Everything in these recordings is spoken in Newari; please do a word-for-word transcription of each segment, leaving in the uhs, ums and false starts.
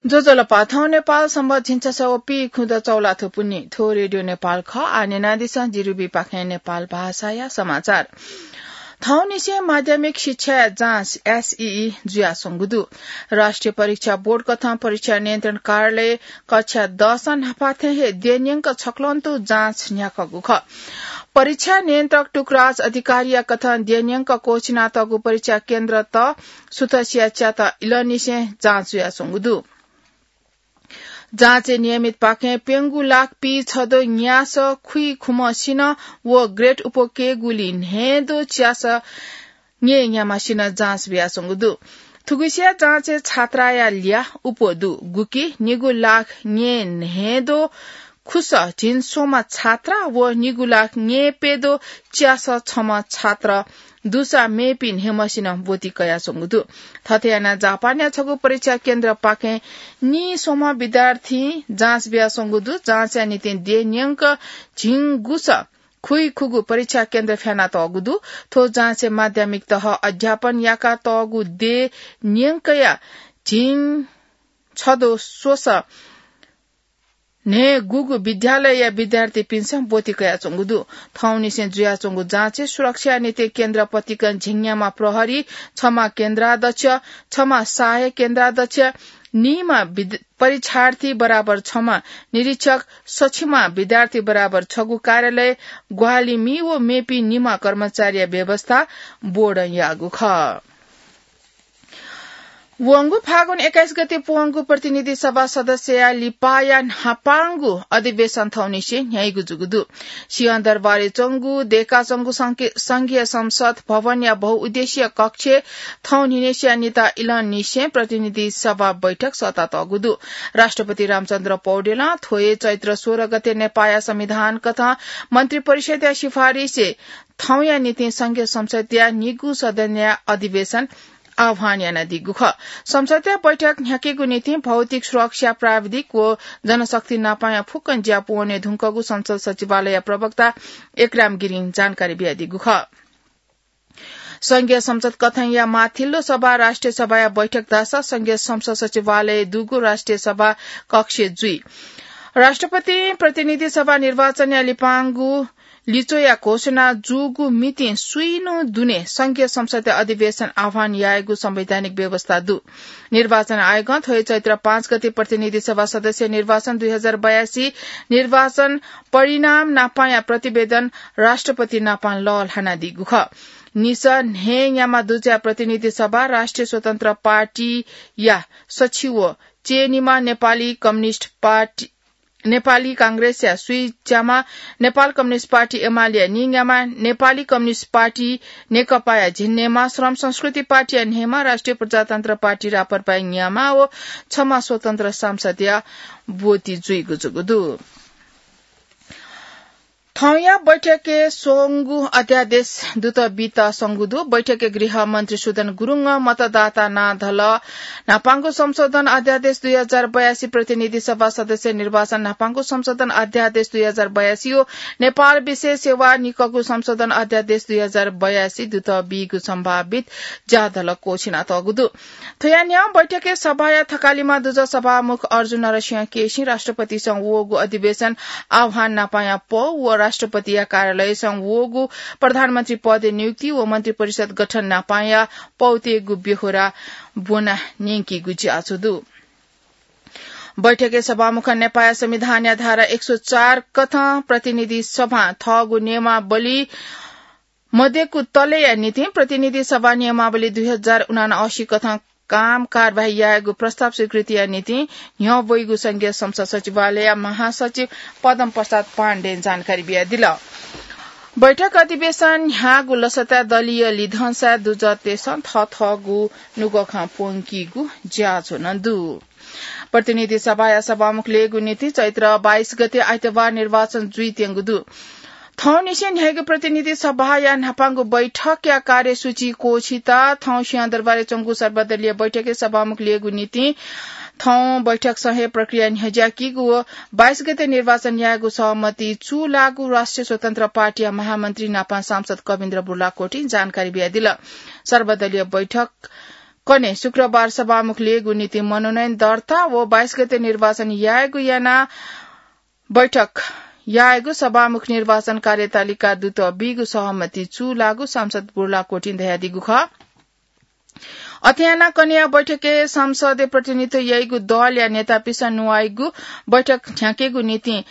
ज्वजलपा, थौं नेपाल संवत् झिंछसः व पीखुदँ चौलाथ्व पुन्हि। थ्व रेडियो नेपाल खः। आः न्यनादिसँ जिरुबीपाखें नेपाल भाषाया समाचार। थौंनिसें माध्यमिक शिक्षाया जाँच, एसईई, जुयाच्वंगु दु। राष्ट्रिय परीक्षा बोर्ड कथं परीक्षा नियन्त्रण कार्यालय कक्षा दसं न्हापा थें हे द्यः न्यंक छक्वंतु जाँच न्ह्याकूगु खः। परीक्षा नियन्त्रक टुकराज अधिकारीया कथं द्यः न्यंक क्वःछिनातःगु परीक्षा केन्द्रत सुथसिया च्यात इलंनिसें जाँच जुयाच्वंगु दु। जाँचय् नियमितपाखें प्यंगू लाख पीछद्वः न्यासः खुइखुम्हसिनं व ग्रेड उपक्वय्‌गुली न्हय्‌द्वः च्यासः न्यय्‌न्याम्हसिनं जाँच बियाच्वंगु दु। थुगुसिया जाँचय् छात्राया ल्याः, उप दु, गुकी निगू लाख न्यय्‌न्हय्‌द्वः खुसः झिंस्वम्ह छात्रा व निगू लाख न्यय्‌प्यद्वः च्यासः छम्ह छात्र दुसा मेपिं न्हय्‌म्हसिनं ब्वति कयाच्वंगु दु। थथे यानाः जापानया छगू परीक्षा केन्द्रपाखें नीस्वम्ह विद्यार्थीं जाँच बियाच्वंगु दु। जाँचया निंतिं द्यः न्यंक झिंगुसः खुइखुगू परीक्षा केन्द्र फ्यानातःगु दु। थ्व जाँचय् माध्यमिक तह अध्यापन याकातःगु द्यः न्यंकया झिंछद्वः स्वसः न्हय्‌गूगु विद्यालयया विद्यार्थीपिन्सं ब्वति कयाच्वंगु दु। थौंनिसें जुयाच्वंगु जाँचय् सुरक्षाया निंतिं केन्द्र पतिकं झिंन्याम्ह प्रहरी, छम्ह केन्द्राध्यक्ष, छम्ह सहायक केन्द्राध्यक्ष, निम्ह विद-, परीक्षार्थी बराबर छम्ह निरीक्षक, सछिम्ह विद्यार्थी बराबर छगू कार्यालय, ग्वाहालिमि व मेपिं निम्ह कर्मचारीया व्यवस्था बोर्डं याःगु खः। वंगु फागुन एक्काइस गते प्वंगु प्रतिनिधि सभा सदस्यया लिपाया न्हापांगु अधिवेशन थौंनिसें न्ह्याइगु जूगु दु। सिंहदरबारय् च्वंगु दय्‌काच्वंगु संघ-, संघीय संसद भवनया बहुउद्देश्यीय कक्षय् थौंनिसेंया निता इलंनिसें प्रतिनिधि सभा बैठक सःतातःगु दु। राष्ट्रपति रामचन्द्र पौडेलं थ्व हे चैत्र सोह्र गते नेपाःया संविधान कथं मन्त्रिपरिषद्‌या सिफारिसय् थौंया निंतिं संघीय संसदया निगू सदनया अधिवेशन आह्वान यानादीगु खः। संसदया बैठक न्ह्याकेगु निंतिं भौतिक सुरक्षा, प्राविधिक व जनशक्ति नापांया फुक्कं ज्या पूवने धुंकूगु संसद सचिवालयया प्रवक्ता एकराम गिरिं जानकारी बियादीगु खः। संघीय संसद कथंया माथिल्लो सभा राष्ट्रिय सभाया बैठक धाःसा संघीय संसद सचिवालय दुगु राष्ट्रिय सभा कक्षय् जुइ। राष्ट्रपतिं प्रतिनिधि सभा निर्वाचनया लिपांगु लिच्वया घोषणा जूगु मितिं स्वीन्हु दुने संघीय संसदया अधिवेशन आह्वान यायेगु संवैधानिक व्यवस्था दु। निर्वाचन आयोगं थ्व हे चैत्र पाँच गते प्रतिनिधि सभा सदस्य निर्वाचन दुई हजार बयासी निर्वाचन परिणाम नापांया प्रतिवेदन राष्ट्रपति नापां लःल्हानादीगु खः। निसः न्हय्‌न्याम्ह दुजःया प्रतिनिधि सभा राष्ट्रिय स्वतन्त्र पार्टीया सछि व च्यय्‌निम्ह नेपाली कम्युनिस्ट पार्टी, नेपाली कांग्रेसया स्वीच्याम्ह नेपाल कम्युनिस्ट पार्टी एमालेया नीन्याम्ह नेपाली कम्युनिस्ट पार्टी नेकपाया झिंन्हय्‌म्ह, श्रम संस्कृति पार्टीया न्हय्‌म्ह, राष्ट्रिय प्रजातन्त्र पार्टी राप्रपाया न्याम्ह व छम्ह स्वतन्त्र सांसदया ब्वति जुइगु जूगु दु। थौंया बैठकय् स्वंगू अध्यादेश दुत बीत संगु दु। बैठकय् गृह मन्त्री सुदन गुरुङं मतदाता नां धल न्हापांगु संशोधन अध्यादेश दुई हजार बयासी, प्रतिनिधि सभा सदस्य निर्वाचन न्हापांगु संशोधन अध्यादेश दुई हजार बयासी व नेपाल विशेष सेवा निकःगु संशोधन अध्यादेश दुई हजार बयासी दुत बीगु सम्भावित ज्याधल क्वःछिनातःगु दु। थ्वया न्ह्यः बैठकय् सभाया थकालिमा दुजः सभामुख अर्जुन नरसिंह केसीं राष्ट्रपतिसं वःगु अधिवेशन आह्वान नापांया पौ व राष्ट्रपतिया कार्यालयसं वःगु प्रधानमन्त्री पदय् नियुक्ति व मन्त्रिपरिषद गठन नापांया पौतय्‌गु ब्यहोरा ब्वना न्यंकीगु ज्याझ्वः दु। बैठकय् सभामुखं नेपाःया संविधानया धारा एक सय चार कथं प्रतिनिधि सभां थःगु नियमावली मदय्‌कू तलेया निंतिं प्रतिनिधि सभा नियमावली दुई हजार उनासी कथं काम कारवाही यायेगु प्रस्ताव स्वीकृतिया निंतिं न्ह्यः वइगु संघीय संसद सचिवालयया महासचिव पद्म प्रसाद पाण्डें जानकारी बियादिल। बैठक अधिवेशन न्ह्याःगु लसताय् दलीय लिधंसाय् दुजःतय्‌सं थःथःगु नुगः खँ प्वंकीगु ज्याझ्वः नं दु। प्रतिनिधि सभाया सभामुख ल्ययेगु निंतिं चैत्र बाइस गते आइतबार निर्वाचन जुइत्यंगु दु। थौंनिसें न्ह्याइगु प्रतिनिधि सभाया न्हापांगु बैठकया कार्यसूची क्वःछित। थौं सिंहदरबारय् च्वंगु सर्वदलीय बैठकय् सभामुख ल्ययेगु निंतिं थौं बैठकसं हे प्रक्रिया न्ह्यज्याकीगु व बाइस गते निर्वाचन यायेगु सहमति चूलाःगु राष्ट्रिय स्वतन्त्र पार्टीया महामन्त्री नापां सांसद कविन्द्र बुर्लाकोटीं जानकारी बियादिल। सर्वदलीय बैठक कने शुक्रबार सभामुख ल्ययेगु निंतिं मनोनयन दर्ता व बाइस गते निर्वाचन यायेगु याना बैठक यायेगु सभामुख निर्वाचन कार्यतालिका दुत बीगु सहमति चूलाःगु सांसद बुर्ला कोटिं धयादीगु खः। अथे याना कन्हय् बैठकय् संसदय् प्रतिनिधित्व याइगु दलया नेतापिसं न्वाइगु बैठक न्ह्याकेगु निंतिं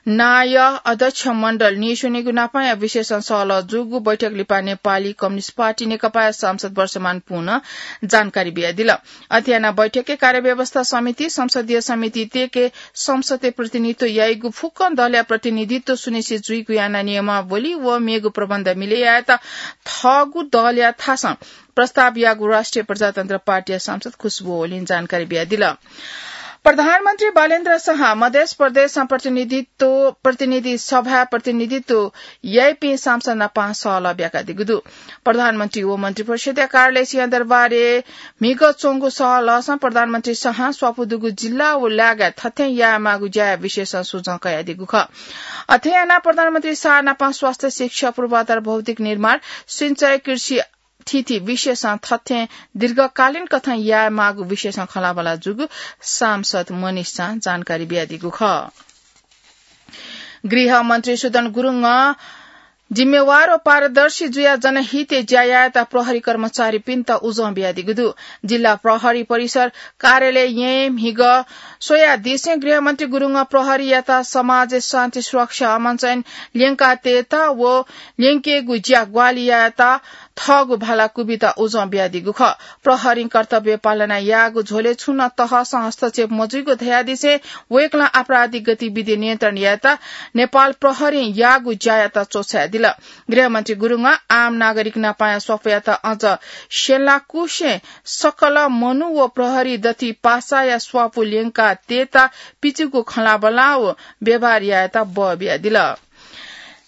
नायः अध्यक्ष मण्डल नीस्वनीगु नापंया विशेषं सहलह जूगु बैठक लिपा नेपाली कम्युनिस्ट पार्टी नेकपाया सांसद वर्षमान पुनं जानकारी बियादिल। अथे याना बैठकय् कार्यव्यवस्था समिति, संसदीय समिति तयेके संसदय् प्रतिनिधित्व याइगु फुक्कं दलया प्रतिनिधित्व सुनिश्चित जुइगु याना नियमावली व मेगु प्रबन्ध मिले यायेत थःगु दलया थासं प्रस्ताव याःगु राष्ट्रिय प्रजातन्त्र पार्टीया सांसद खुशबु ओलीं जानकारी बियादिल। प्रधानमन्त्री बालेन्द्र शाह मधेस प्रदेशं प्रतिनिधित्व, प्रतिनिधि सभाय् प्रतिनिधित्व याइपिं सांसद नापं सहलह ब्याकादीगु दु। प्रधानमन्त्री व मन्त्रिपरिषदया कार्यालय सिंहदरबारय् म्हिगः च्वंगु सहलहसं प्रधानमन्त्री शाहं स्वापू दुगु जिल्ला व लागाय् थथें यायेमाःगु ज्याया विषयसं सुझाव कयादीगु खः। अथे यानाः प्रधानमन्त्री शाह नापं स्वास्थ्य, शिक्षा, पूर्वाधार, भौतिक निर्माण, सिंचाई, कृषि, थीथी विषयसं थथें दीर्घकालीन कथं यायेमाःगु विषयसं खँल्हाबल्हा जूगु सांसद मनिष शाहं जानकारी बियादीगु खः। गृहमन्त्री सुदन गुरुङं जिम्मेवार व पारदर्शी जुयाः जनहितय् ज्या यायेत प्रहरी कर्मचारीपिन्त उजं बियादीगु दु। जिल्ला प्रहरी परिसर कार्यालय येँय् म्हिगः स्वयादिसें गृहमन्त्री गुरुङं प्रहरीयात समाजय् शान्ति सुरक्षा अमन चयन ल्यंकातयेत व ल्यंकेगु ज्या ग्वाहालि यायेत थःगु भाला क्वबित उजं बियादीगु खः। प्रहरीं कर्तव्य पालना याःगु झ्वलय् छुं नं तहसं हस्तक्षेप मजुइगु धयादिसें वय्कलं आपराधिक गतिविधि नियन्त्रण यायेत नेपाल प्रहरीं याःगु ज्यायात च्वछायादिल। गृहमन्त्री गुरुङं आम नागरिक नापंया स्वापूयात अझ स्यंलाकुसें सकल मनू व प्रहरी दथुइ पासाया स्वापू ल्यंकातयेत पिचुगु खँल्हाबल्हा व व्यवहार यायेत बः बियादिल।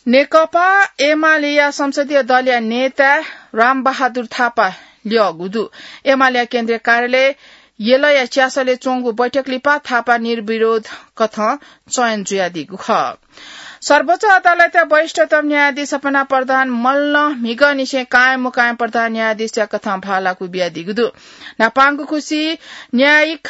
नेकपा एमालेया संसदीय दलया नेता रामबहादुर थापा ल्यःगु दु। एमालेया केन्द्रीय कार्यालय यलया च्यासलय् च्वंगु बैठक लिपा थापा निर्विरोध कथं चयन जुयादीगु खः। सर्वोच्च अदालतया वरिष्ठतम न्यायाधीश सपना प्रधान मल्लं म्हिगःनिसें कायम मुकायम प्रधान न्यायाधीशया कथं भाला क्वबियादीगु दु। न्हापांगु खुसी न्यायिक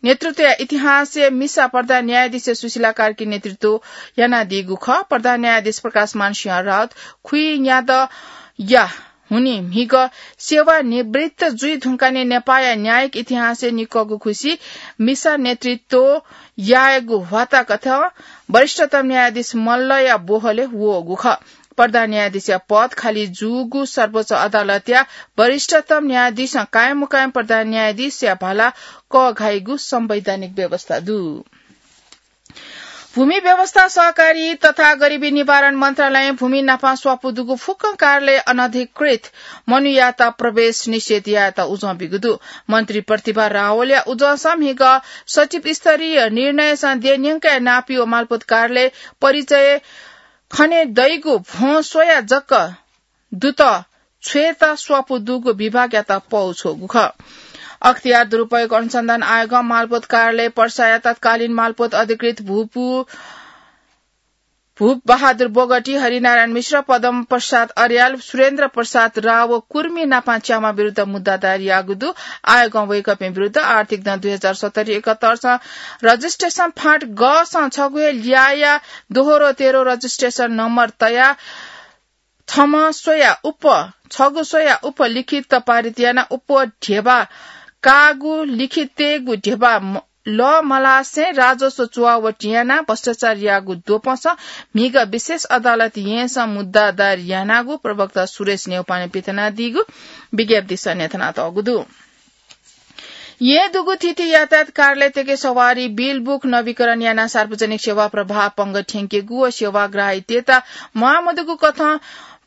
नेतृत्वया इतिहासय् मिसा प्रधान न्यायाधीश सुशीला कार्की नेतृत्व यानादीगु खः। प्रधान न्यायाधीश प्रकाशमान सिंह राउत खुइन्यादँया हुनिं म्हिगः सेवानिवृत्त जुइ धुंकाः नेपाःया न्यायिक इतिहासय् निक्वःगु खुसी मिसा नेतृत्व यायेगु ह्वाताकथं वरिष्ठतम न्यायाधीश मल्लया बोहलय् वःगु खः। प्रधान न्यायाधीशया पद खाली जूगु सर्वोच्च अदालतया वरिष्ठतम न्यायाधीशं कायम मुकायम प्रधान न्यायाधीशया भाला कःघाइगु संवैधानिक व्यवस्था दु। भूमि व्यवस्था, सहकारी तथा गरिबी निवारण मन्त्रालयं भूमि नापं स्वापू दुगु फुक्कं कार्यालय अनधिकृत मनूयात प्रवेश निषेध यायेत उजं बीगु दु। मन्त्री प्रतिभा रावलया उजंसं म्हिगः सचिव स्तरीय निर्णयसं देय् न्यंकाः नापी व मालपोत कार्यालय परिचय खने दइगु भ्वं स्वयाः जक दुत छ्वयेत स्वापू दुगु विभागयात पौ छ्वःगु खः। अख्तियार दुरुपयोग अनुसन्धान आयोगं मालपोत कार्यालय पर्साया तत्कालीन मालपोत अधिकृत भूपू भूप बहादुर बोगटी, हरिनारायण मिश्र, पद्म प्रसाद अर्याल, सुरेन्द्र प्रसाद राव व कुर्मी नापं च्याम्ह विरुद्ध मुद्दा दायर याःगु दु। आयोगं वय्कःपिं विरुद्ध आर्थिक दँ दुई हजार सत्तरी एकहत्तरसं रजिस्ट्रेसन फाँट गसं छगू हे ल्याःया दोहोरो तेह्रो रजिस्ट्रेसन नम्बर तयाः छम्ह स्वयाः उप, छगू स्वयाः उप लिखित पारित यानाः उप ध्यबा काःगु लिखितय्गु ध्यबा म-, लःमलासें राजस्व चुहावट यानाः भ्रष्टाचार याःगु द्वपंसं म्हिगः विशेष अदालत येँसं मुद्दा दायर यानागु प्रवक्ता सुरेश न्यौपाने पिथनादीगु विज्ञप्तिसं न्ह्यथनातःगु दु। येँ दुगु थीथी यातायात कार्यालयतय्के सवारी बिल बुक नवीकरण यानाः सार्वजनिक सेवा प्रवाह पंगः थ्यंकेगु व सेवाग्राहीतय्त म्वाःमदुगु कथं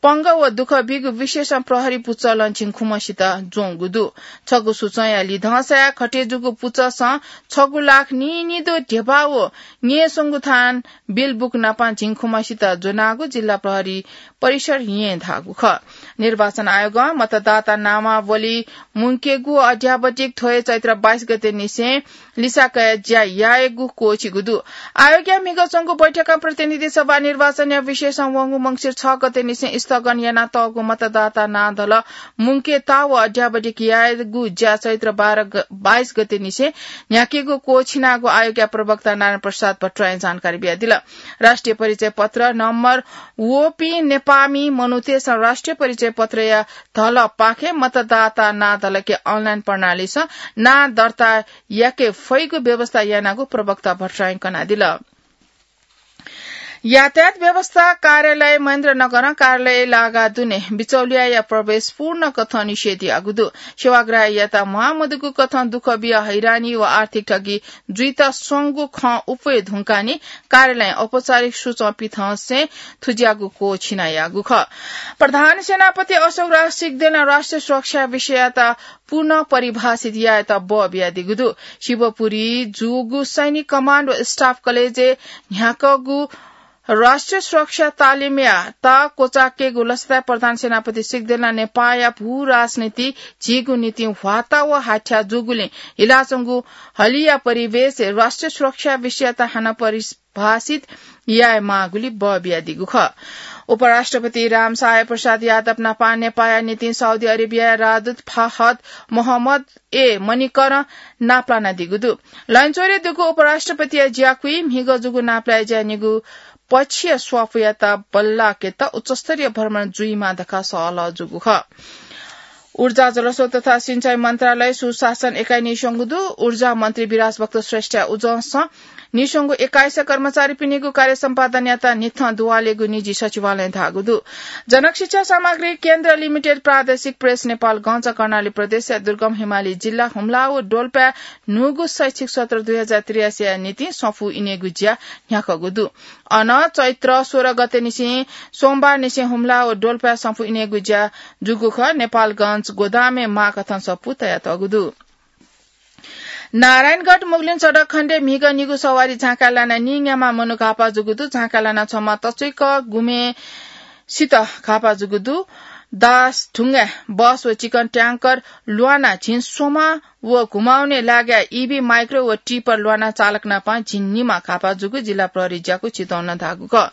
पंगः व दुःख बीगु विषयसं प्रहरी पुचलं झिंखुम्हसित ज्वंगु दु। छगू सूचंया लिधंसाय् खटे जूगु पुचसं छगू लाख नीनिदँ ध्यबा व न्यय्स्वंगू थान बिल बुक नापं झिंखुम्हसित ज्वनागु जिल्ला प्रहरी परिषद येँ धाःगु खः। निर्वाचन आयोगं मतदाता नामावली मुंकेगु व अद्यावधिक थ्व हे चैत्र बाइस गते निसें लिसा कयाः ज्या यायेगु क्वःछिगु दु। आयोगया म्हिगः च्वंगु बैठकं प्रतिनिधि सभा निर्वाचनया विषयसं वंगु मंसिर छ गते निसें स्थगन यानातःगु मतदाता नां धल मुंकेता व अध्यावधिक यायेगु ज्या चैत्र बाह्र ग-, बाइस गते निसें न्ह्याकेगु क्वःछिनागु आयोगया प्रवक्ता नारायण प्रसाद भट्टराईं जानकारी बियादिल। राष्ट्रिय परिचय पत्र नम्बर वःपिं नेपाःमि मनूतय्‌सं राष्ट्रिय परिचय पत्रया धलपाखें मतदाता नां धलके अनलाइन प्रणालीसं नां दर्ता याके फइगु व्यवस्था यानागु प्रवक्ता भट्टराईं कनादिल। यातायात व्यवस्था कार्यालय महेन्द्रनगरं कार्यालय लागा दुने बिचौलियाया प्रवेश पूर्ण कथं निषेध याःगु दु। सेवाग्राहीयात म्वाःमदुगु कथं दुःख बिया हैरानी व आर्थिक ठगी जुइत स्वंगु खँ उप्वये धुंकाः नि कार्यालयं औपचारिक सूचं पिथंसें थुज्याःगु क्वःछिना याःगु खः। प्रधान सेनापति अशोक राज सिग्देलं राष्ट्रिय सुरक्षा विषययात पुनः परिभाषित यायेत बः बियादीगु दु। शिवपुरी जूगु सैनिक कमान्ड व स्टाफ कलेजय् न्ह्याकःगु राष्ट्रिय सुरक्षा तालिमयात क्वचाकेगु लसताय् प्रधान सेनापति सिग्देलं नेपाःया भू राजनीति झीगु निंतिं ह्वाता व हाथ्या जूगुलिं हिलाच्वंगु हलिया परिवेशय् राष्ट्रिय सुरक्षा विषययात हानं परिभाषित याये माःगुली बः बियादीगु खः। उपराष्ट्रपति रामसहाय प्रसाद यादव नापं नेपाःया निंतिं साउदी अरेबियाया राजदूत फाहद मोहम्मद ए मणिकरं नापलानादीगु दु। लैनचौरय् दुगु उपराष्ट्रपतिया ज्याकुइ म्हिगः जूगु नापलाये ज्या निगू पक्षीय स्वापूयात बल्लाकेत उच्चस्तरीय भ्रमण जुइमा धकाः सहलह जूगु खः। ऊर्जा, जलस्रोत तथा सिंचाई मन्त्रालय सुशासन एकाइ नीस्वंगु दु। ऊर्जा मन्त्री विराज भक्त श्रेष्ठया उजंसं नीस्वंगु एकाइस कर्मचारीपिनिगु कार्य सम्पादनयात निथं दुवालेगु निजी सचिवालयं धाःगु दु। जनक शिक्षा सामग्री केन्द्र लिमिटेड प्रादेशिक प्रेस नेपालगञ्ज कर्णाली प्रदेशया दुर्गम हिमाली जिल्ला हुम्ला व डोल्पाय् न्हूगु शैक्षिक सत्र दुई हजार त्रियासीया निंतिं सफू इनेगु ज्या न्ह्याकःगु दु। अन चैत्र सोह्र गते निसें सोमबार निसें हुम्ला व डोल्पाय् सफू इनेगु ज्या जूगु खः। नेपालगञ्ज गोदामय् माःकथं सफू तयातःगु दु। नारायणगढ मुगलिन सडक खण्डय् म्हिगः निगू सवारी झाँकाय् लानाः नीन्याम्ह मनू घाःपाः जूगु दु। झाँकाय् लानाः छम्ह तच्वइक गुम्हेसित घाःपाः जूगु दु। दास ढुङ्गाय् बस व चिकन ट्याङ्कर ल्वानाः झिंस्वम्ह व घुमाउने लागाय् ईभी माइक्रो व टिपर ल्वानाः चालक नापं झिंनिम्ह घाःपाः जूगु जिल्ला प्रहरी ज्याकू चितवनं धाःगु खः।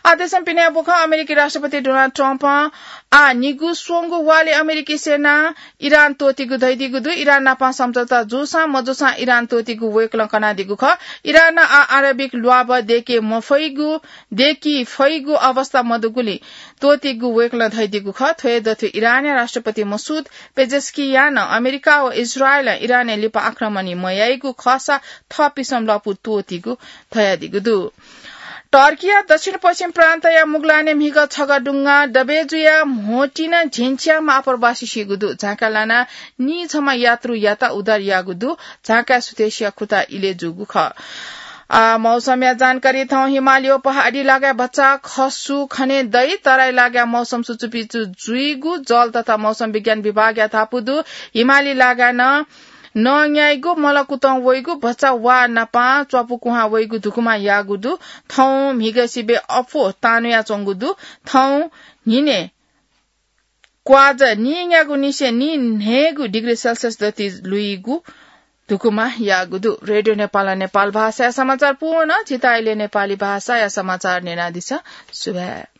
आदेशं पिने बुखं अमेरिकी राष्ट्रपति डोनाल्ड ट्रम्पं आः निगू स्वंगू वालय् अमेरिकी सेनां इरान त्वःतीगु धयादीगु दु। इरान नापं सम्झौता जूसां मजूसां इरान त्वःतीगु वय्कलं कनादीगु खः। इरानं आः आणविक ल्वाभः दय्के मफइगु, दय्की फइगु अवस्था मदुगुलिं त्वःतीगु वय्कलं धयादीगु खः। थ्व हे दथुइ इरानया राष्ट्रपति मसूद पेजेस्कियानं अमेरिका व इजरायलं इरानय् लिपा आक्रमण मयाइगु खःसा थःपिसं लँपु त्वःतीगु धयादीगु दु। टर्कीया दक्षिण पश्चिम प्रान्तया मुगलानय् म्हिगः छगः दुंगः दबे जुयाः म्होतिं झिंच्याम्ह आप्रवासी सीगु दु। झाँकाय् लानाः नीछम्ह यात्रुयात उद्धार याःगु दु। झाँकाय् सुथय्सिया खुता इलय् जूगु खः। आः मौसमया जानकारी। थौं हिमालय व पहाडी लागाय् भचा खसु खने दइ। तराई लागाय् मौसम सुचुपिचु जुइगु जल तथा मौसम विज्ञान विभागया धापू दु। हिमाली लागाय् नं नंग्याइगु, मलकुतं वइगु, भचा वा नापं च्वापु कुहां वइगु धुकुमा याःगु दु। थौं म्हिगः सिबें अप्वः तांन्वयाच्वंगु दु। थौं न्हिनय् क्वाजः नीन्यागू निसें नीन्हय्गू डिग्री सेल्सियस दथुइ लुइगु धुकुमा याःगु दु। रेडियो नेपालं नेपाल भाषाया समाचार पूवन। झीत अले नेपाली भाषाया समाचार न्यनादिसँ। सुभाय्।